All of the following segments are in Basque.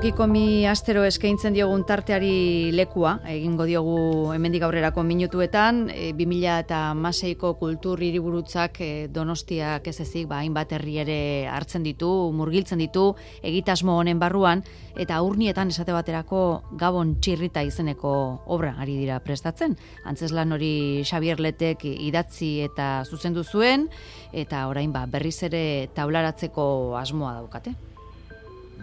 Tokikomi astero eskaintzen diogun tarteari lekua, egingo diogu hemendik aurrerako minutuetan, 2016ko kultur hiriburutzak Donostiak ez ezik, hainbat herri ere hartzen ditu, murgiltzen ditu, egitasmo honen barruan, eta urnietan esate baterako Gabon Txirrita izeneko obra ari dira prestatzen. Antzeslan hori Xabier Letek idatzi eta zuzendu zuen, eta orain berriz ere taularatzeko asmoa daukate.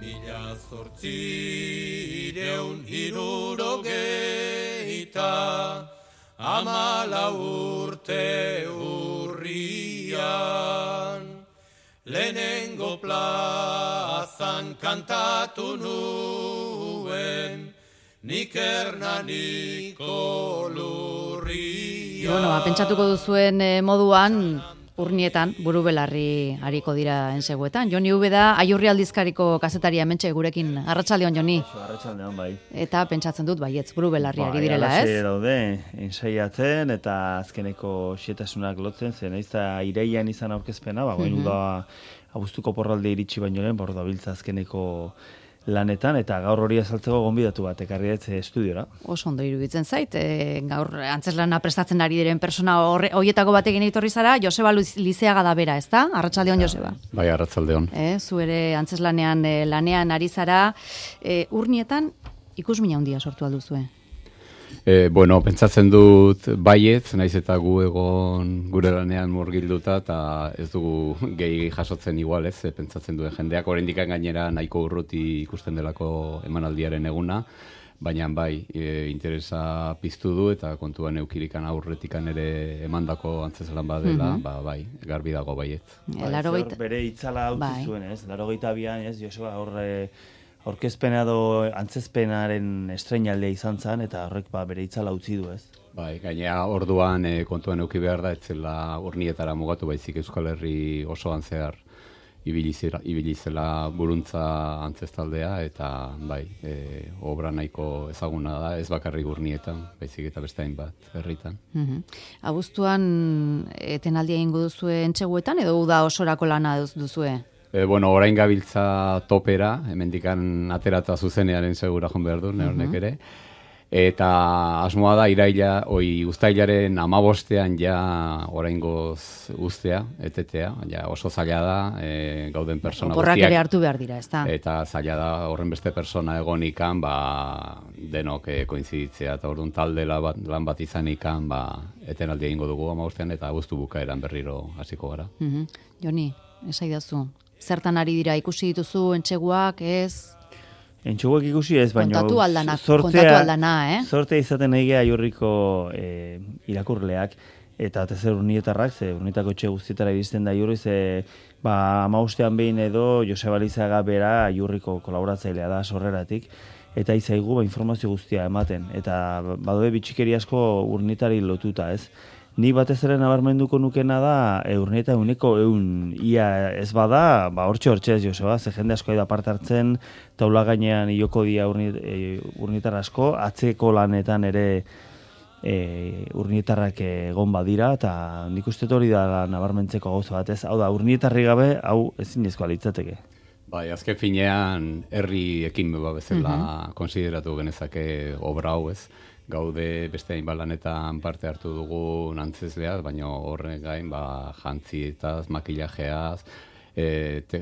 1874 urte urrian, lehenengo plazan kantatu nuen, nik Hernaniko lurrian. Pentsatuko duzuen moduan, urnietan, buru belarri hariko dira enseguetan. Joni Ubeda, Aiurri aldizkariko kazetaria hementxe gurekin. Arratsaldeon, Joni. Arratsaldeon, bai. Eta pentsatzen dut, baietz, buru belarri ari direla, ez? Bai, daude, ensaiatzen eta azkeneko xetasunak lotzen, zen ez da iraian izan aurkezpena, da abuztuko porralde iritsi baino lehen, da biltza azkeneko lanetan, eta gaur hori azaltzeko gonbidatu bat, ekarri estudiora. Oso ondo iruditzen zait, gaur antzeslana prestatzen ari diren persona horietako batekin etorri zara, Joseba Lizeaga da bera, ezta? Arratsaldeon, Joseba. Bai, arratsaldeon. Zu ere antzeslanean lanean ari zara, urnietan ikusmina handia sortu alduzue. Pentsatzen dut baietz, naiz eta gu egon gure lanean murgilduta, eta ez dugu gehi jasotzen igual, ez, pentsatzen duen jendeak, oraindik gainera nahiko urruti ikusten delako emanaldiaren eguna, baina bai, interesa piztu du, eta kontuan eukirikan aurretikan ere emandako antzeslan badela, bai, garbi dago baietz. Bere itzala utzi zuen, ez, 82an, ez, Joseba, aurkezpena edo antzezpenaren estreinaldea izan zen, eta horrek bere itzala utzi du, ez? Bai, gainera orduan kontuan eduki behar da, etzela urnietara mugatu baizik Euskal Herri osoan zehar ibili zela buruntza antzeztaldea, eta bai, obra nahiko ezaguna da, ez bakarrik urnietan, baizik eta beste hainbat herritan. Abuztuan etenaldia egingo duzue entseguetan, edo uda osorako lana duzue? Orain gabiltza topera, hemendikan aterata zuzenearen segura joan behar du, neornek ere. Eta asmoa da, uztailaren 15ean ja oraingoz uztea, etetea, ja oso zaila da, gauden persona guztiak. Oporrak ere hartu behar dira, ez da? Eta zaila da, horren beste persona egonikan, denok koinziditzea, eta orduan talde lan bat izanikan, etenaldi egingo dugu 15ean, eta abuztu bukaeran berriro hasiko gara. Joni, esaidazu. Zertan ari dira, ikusi dituzu entseguak, ez? Entseguak ikusi ez, baina kontatu aldana, Zortea izaten egea Aiurriko irakurleak, eta tezer urnietarrak, urnietako etxe guztietara iristen da Aiurri, 15ean behin edo Joseba Lizeaga bera Aiurriko kolaboratzailea da sorreratik, eta izaigu informazio guztia ematen, eta badoe bitxikeri asko urnietari lotuta, ez? Ni batez ere nabarmenduko nukena da, urnieta uneko ia ez bada, hortxe ez Joseba, ze jende asko da parte hartzen, taula gainean ioko dia urnietar asko, atzeko lanetan ere urnietarrak egon badira, eta nik uste hori da nabarmentzeko gauza bat, ez? Hau da, urnietarri gabe, hau ezinezkoa litzateke. Bai, azken finean herri ekin bezala konsideratu genezake obra hau, ez? Gaude beste hainbat lanetan parte hartu dugu antzezleaz, baina horren gain jantzietaz, makillajeaz,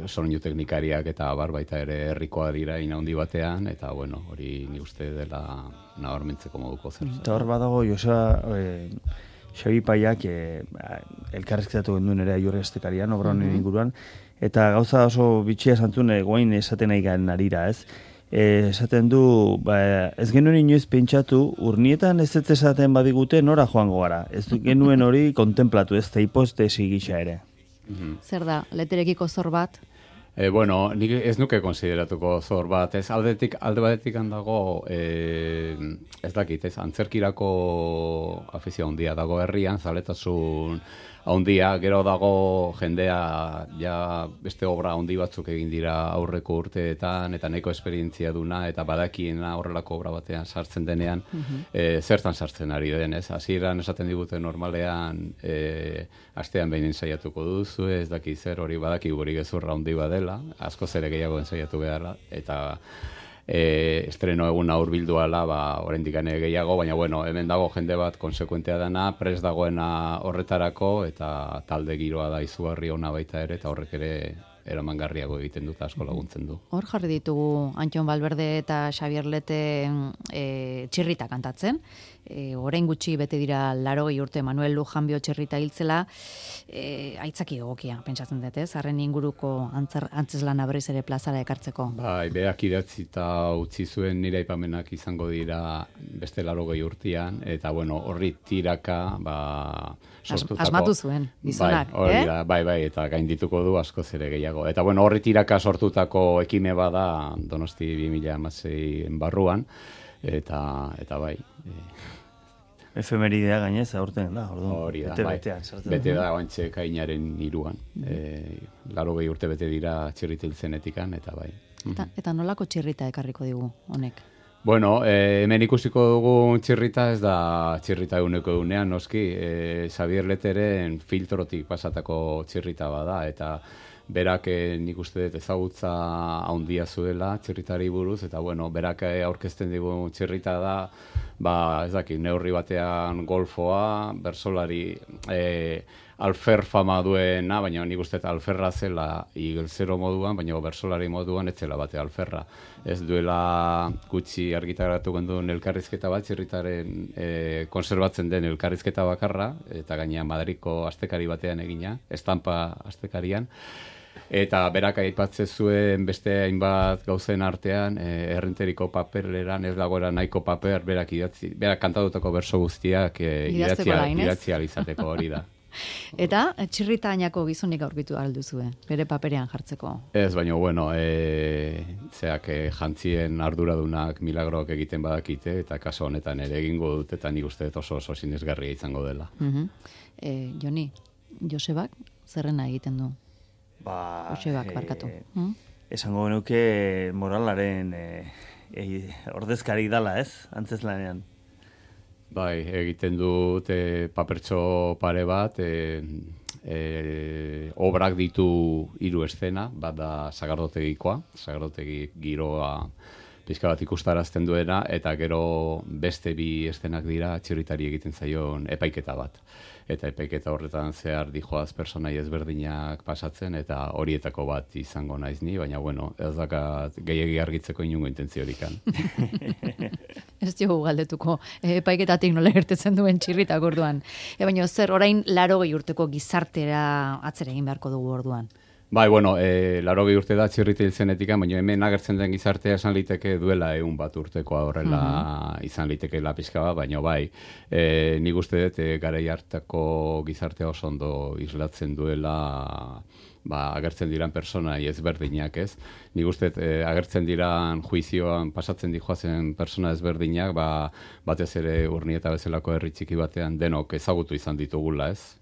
soinu teknikariak eta baita ere herrikoa dira handi batean, eta hori ni uste dela nabarmentzeko moduko zer. Eta hor badago, Joseba, Xabi Paiak elkarrezketatu genduen ere Aiurri estekarian, obra honen inguruan, eta gauza oso bitxia santzun goain esaten nahi garen arira, ez? Esaten du, ez genuen inoiz pentsatu, urnietan ez esaten badigute nora joango gara. Ez genuen hori kontemplatu, ez da hipostesi gisa ere. Zer da, leterekiko zor bat? Nik ez nuke konsideratuko zor bat, ez alde batetik handago, ez dakit, ez antzerkirako afizio handia dago herrian, zaletasun handia, gero dago jendea beste obra handi batzuk egin dira aurreko urteetan, eta nahiko esperientzia duna, eta badakiena horrelako obra batean sartzen denean, zertan sartzen ari den, ez? Hasieran esaten digute normalean, astean behin ensaiatuko duzu, ez daki zer hori badaki guri gezurra handi badela, asko zere gehiago ensaiatu beharra, eta estreno eguna hurbilduala, oraindik gehiago, baina bueno, hemen dago jende bat konsekuentea dana, prest dagoena horretarako, eta talde giroa da izugarri ona baita ere, eta horrek ere eramangarriago egiten dut, asko laguntzen du. Hor jarri ditugu Antxon Valverde eta Xabier Lete txirrita kantatzen. Orain gutxi bete dira 80 urte Manuel Lujanbio txirrita hiltzela, aitzaki egokia, pentsatzen dut, ez? Harren inguruko antzeslana berriz ere plazara ekartzeko. Bai, berak idatzi eta utzi zuen nire aipamenak izango dira beste 80 urtean, eta bueno, horri tiraka, sortutako... Asmatu zuen, gizonak, bai, eta gaindituko du askoz ere gehiago. Eta bueno, horri tiraka sortutako ekime bada Donosti 2016 barruan, eta bai... Efemeridea gainez, aurten da, hori da, bete da oantxe kainaren 3an. 80 urte bete dira txirrita hiltzenetikan, eta bai. Eta nolako txirrita ekarriko digu, honek? Bueno, hemen ikusiko dugu txirrita, ez da txirrita eguneko egunean, noski, Xabier Leteren filtrotik pasatako txirrita bada, eta berak nik uste dut ezagutza handia zuela txirritari buruz, eta bueno, berak aurkezten digu txirrita da, ez dakit, neurri batean golfoa, bersolari alfer fama duena, baina nik uste alferra zela igelzero moduan, baina bersolari moduan ez zela bate alferra. Ez duela gutxi argitaratu genduen elkarrizketa bat, txirritaren konserbatzen den elkarrizketa bakarra, eta gaina Madriko astekari batean egina, estampa astekarian, eta berak aipatzen zuen beste hainbat gauzen artean, errenteriko paperleran ez dagoela nahiko paper, berak kantatutako berso guztiak idatzi alizateko hori da. Eta txirritainako gizonik aurkitu alduzue, bere paperean jartzeko? Ez, baina, bueno, jantzien arduradunak milagroak egiten badakite, eta kaso honetan ere egingo dut, eta nik uste oso sinesgarria izango dela. Joni, Josebak zerrena egiten du? Josebak, barkatu. Esango genuke moralaren ordezkari dala, ez? Antzeslanean. Bai, egiten dut papertxo pare bat, obrak ditu 3 eszena, bat da sagardotegikoa, sagardotegi giroa pixka bat ikustarazten duena, eta gero beste 2 eszenak dira txirritari egiten zaion epaiketa bat. Eta epaiketa horretan zehar dijoaz personai ezberdinak pasatzen, eta horietako bat izango naiz ni, baina bueno, ez dakat gehiegi argitzeko inungo intentziorikan. Ez dugu galdetuko, epaiketatik nola gertetzen duen txirritak orduan. Baina zer, orain 80 urteko gizartera atzera egin beharko dugu orduan? Bai, bueno, 80 urte da txirrita hiltzenetik, baina hemen agertzen den gizartea esan liteke duela 100 urtekoa horrela izan liteke pixka bat, baina bai, nik uste dut garai hartako gizartea oso ondo islatzen duela agertzen diran personai ezberdinak, ez? Nik uste agertzen diran juizioan pasatzen dijoazen persona ezberdinak, batez ere Urnieta bezalako herri txiki batean denok ezagutu izan ditugula, ez?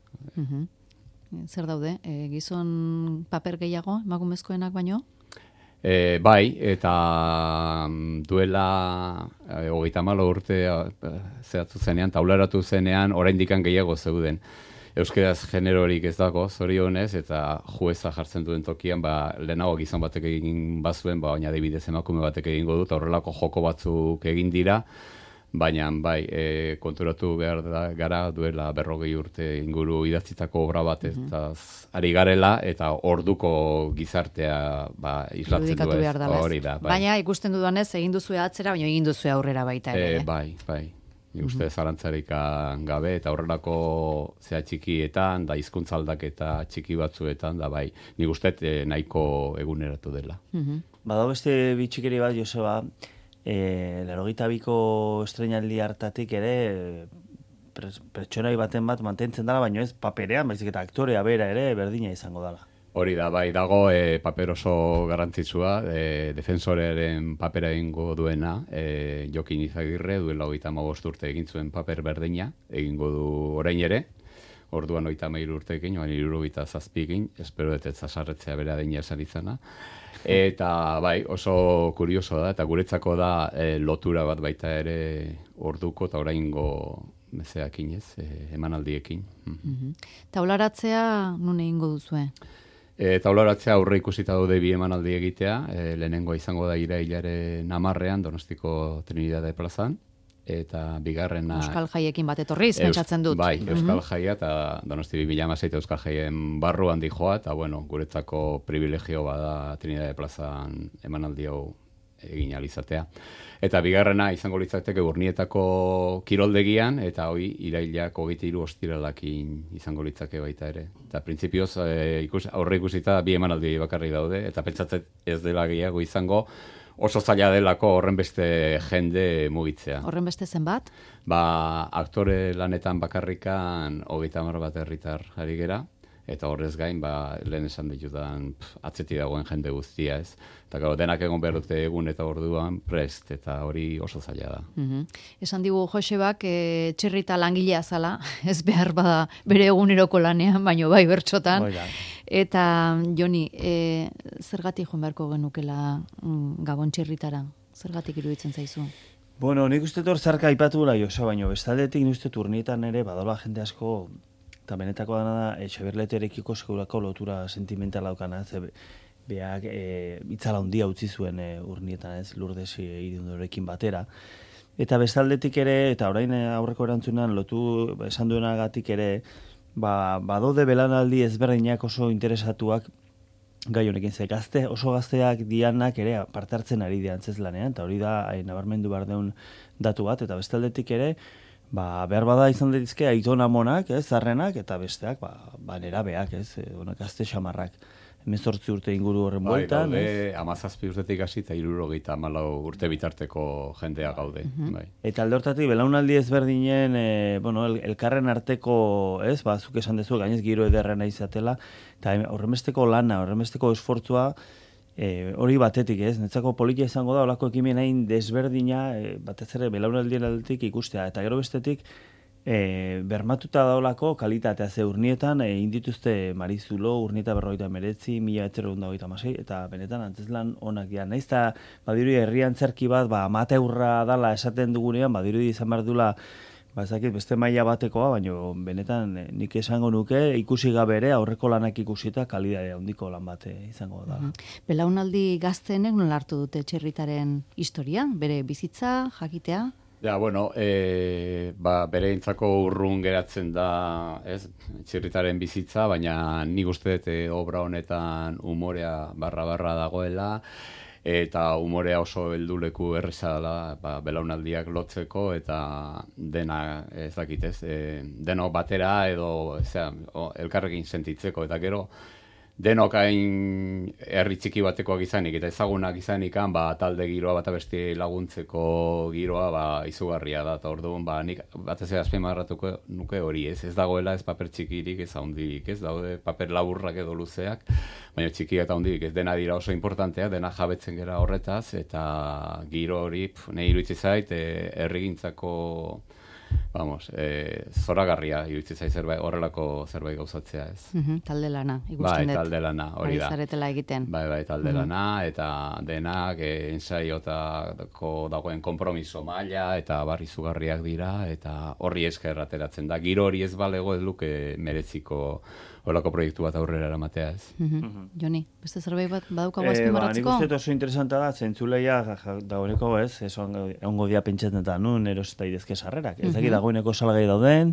Zer daude, gizon paper gehiago, emakumezkoenak baino? Bai, eta duela 34 urte zehatzu zenean, taularatu zenean, oraindikan gehiago zeuden. Euskeraz generorik ez dago, zorionez, eta jueza jartzen duen tokian, lehenago gizon batek egin bazuen, baina adibidez emakume batek egingo dut, horrelako joko batzuk egin dira, baina bai, konturatu behar gara duela 40 urte inguru idatzitako obra bat eta ari garela, eta orduko gizartea islatzen du hori da. Baina ikusten dudanez, egin duzue atzera, baina egin duzue aurrera baita ere. Bai. Nik uste zarantzarik gabe, eta horrelako zea txikietan, da hizkuntza aldaketa txiki batzuetan, da bai, nik uste nahiko eguneratu dela. Badago beste bitxikeri bat, Joseba, 82ko estreinaldi hartatik ere pertsonai baten bat mantentzen dela, baina ez paperean, baizik eta aktorea bera ere berdina izango dela. Hori da, bai, dago paper oso garrantzitsua, defensorearen papera egingo duena, Jokin Izagirre, duela 35 urte egin zuen paper berdina, egingo du orain ere, orduan 33 urteekin, 77ekin, espero dut ez zasarretzea bera deina esan izana. Eta bai, oso kurioso da, eta guretzako da lotura bat baita ere orduko eta oraingo mezeakin ez, emanaldiekin. Taularatzea nun egingo duzue? Eta oloratzea aurre ikusita daude bi emanaldi egitea, lehenengoa izango da irailaren 10ean Donostiko Trinidade plazan, eta bigarrena... Euskal Jaiekin bat etorriz, pentsatzen dut. Bai, Euskal Jaia eta Donosti 2016 Euskal Jaien barruan dijoa, eta bueno, guretzako privilegio bada Trinidade plazan emanaldi hau egin alizatea. Eta bigarrena izango litzateke Urnietako kiroldegian, eta hoi irailak 23 ostiralakin izango litzake baita ere. Eta printzipioz aurre ikusita bi emanaldi bakarrik daude, eta pentsatzen ez dela gehiago izango, oso zaila delako horren beste jende mugitzea. Horren beste zenbat? Aktore lanetan bakarrikan 30 bat herritar ari gera, eta horrez gain, lehen esan ditudan atzeti dagoen jende guztia, ez? Eta denak egon behar dute egun eta orduan prest, eta hori oso zaila da. Esan digu Josebak, txirrita langilea zala, ez behar bada bere eguneroko lanean, baino bai bertxotan. Eta, Joni, zergatik joan beharko genukela Gabon txirritara? Zergatik iruditzen zaizu? Bueno, nik uste hor zarka aipatu gula, Joseba, baino bestaldetik nik uste Urnietan ere badola jende asko, eta benetako dana da, Etxeberleterekiko segurako lotura sentimentala daukana, beak itzala handia utzi zuen Urnietan, ez, Lourdes Irundorekin batera. Eta bestaldetik ere, eta orain aurreko erantzunan lotu esan duenagatik ere, badaude belanaldi ezberdinak oso interesatuak gai honekin, ze oso gazteak dianak ere parte hartzen ari diantzez lanean, eta hori da nabarmendu behar deun datu bat, eta bestaldetik ere, behar bada izan dituzke aitona monak, zarrenak, eta besteak, nerabeak, gazte xamarrak. 18 urte inguru horren bueltan. Daude 17 urtetik hasi eta 74 urte bitarteko jendea gaude. Eta alde hortatik, belaunaldi ezberdinen, elkarren arteko, zuk esan dezu, gainez giro ederrena izatela, eta horrenbesteko lana, horrenbesteko esfortzua, hori batetik, netzako politia izango da, olako ekimen hain desberdina, batez ere belaunaldien aldetik ikustea, eta gero bestetik, bermatuta daulako kalitatea ze Urnietan, indituzte Marizulo, Urnieta 59, 1926, eta benetan antzeslan onak dira. Naiz eta badirudi herrian zerki bat, amateurra dala esaten dugunean, badirudi izan behar dula, beste maila batekoa, baina benetan nik esango nuke ikusi gabe ere aurreko lanak ikusita kalidadea handiko lan bat izango da. Belaunaldi gazteenek nola hartu dute txirritaren historia, bere bizitza, jakitea? Ja, bueno, bere intzako urrun geratzen da, txirritaren bizitza, baina nik uste dut obra honetan umorea barra dagoela, eta umorea oso helduleku erreza dela belaunaldiak lotzeko, eta dena, ez dakit, denok batera edo elkarrekin sentitzeko, eta gero, denok hain herri txiki batekoak izanik, eta ezagunak izanikan, talde giroa bat abesti laguntzeko giroa izugarria da, eta orduan, nik batez ere azpimarratuko nuke hori, ez dagoela ez paper txikirik, ez handirik, ez daude paper laburrak edo luzeak, baina txikiak eta handirik, ez dena dira oso importanteak, dena jabetzen gera horretaz, eta giro hori, nahi iruditzen zait, herrigintzako zoragarria iruditzen zait horrelako zerbait gauzatzea, ez. Talde lana, ikusten dut. Talde lana, hori da. Zaretela egiten. Talde lana, eta denak ensaiotako dagoen konpromiso maila, eta izugarriak dira, eta horri esker ateratzen da. Giro hori ez balego ez luke mereziko horrelako proiektu bat aurrera eramatea, ez. Joni, beste zerbait bat badaukago azpimarratzeko? Nik uste oso interesanta da, zentzuleia dagoeneko egongo dia pentsatzen eta nun eros eta idezke sarrerak. Ez dakit dagoeneko salgai dauden,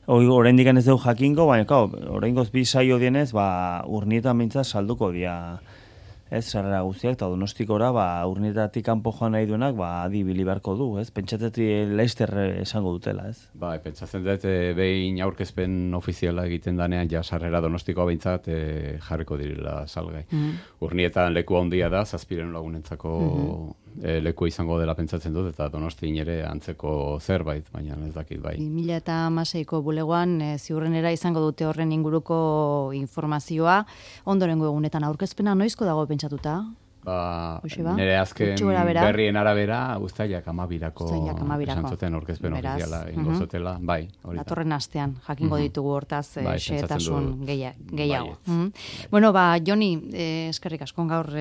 oraindik ez dugu jakingo, baina oraingoz bi saio dienez, Urnietan mintzat salduko dia sarrera guztiak, eta Donostikora Urnietatik kanpo joan nahi duenak adibili beharko du, pentsatetik Leister esango dutela, ez? Pentsatzen dut behin aurkezpen ofiziala egiten danean, sarrera Donostikoa behintzat jarriko direla salgai. Urnietan leku handia da, 700 lagunentzako leku izango dela pentsatzen dut, eta Donostin ere antzeko zerbait, baina ez dakit bai. 2016ko bulegoan ziurrenera izango dute horren inguruko informazioa, ondorengo egunetan aurkezpena noizko dago pentsatuta? Nire azken berrien arabera, Uztailak 12ko esan zuten aurkezpen ofiziala ingozotela, bai. Datorren astean, jakingo ditugu hortaz xehetasun gehiago. Bueno, Joni, eskerrik asko gaur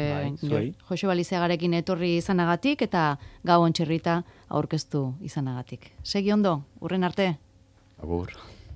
Joseba Lizeagarekin etorri izanagatik, eta Gabon txirrita aurkeztu izanagatik. Segi ondo, urren arte? Agur.